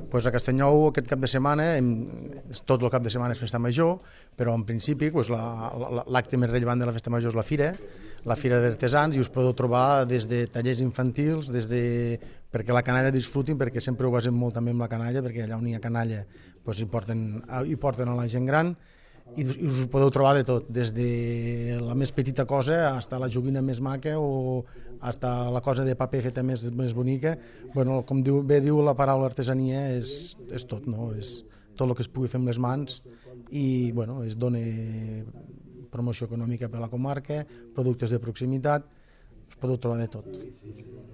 Pues a Castellnou aquest cap de setmana, tot el cap de setmana és festa major, però en principi l'acte més rellevant de la festa major és la fira d'artesans, i us podeu trobar des de tallers infantils, perquè la canalla disfrutin, perquè sempre ho basem molt també amb la canalla, perquè allà on hi ha canalla hi porten a la gent gran, i us podeu trobar de tot, des de la més petita cosa fins a la joguina més maca o fins a la cosa de paper feta més bonica. Bueno, com bé diu la paraula artesania, és tot, no? És tot el que es pugui fer amb les mans, i bueno, es dona promoció econòmica per a la comarca, productes de proximitat, us podeu trobar de tot.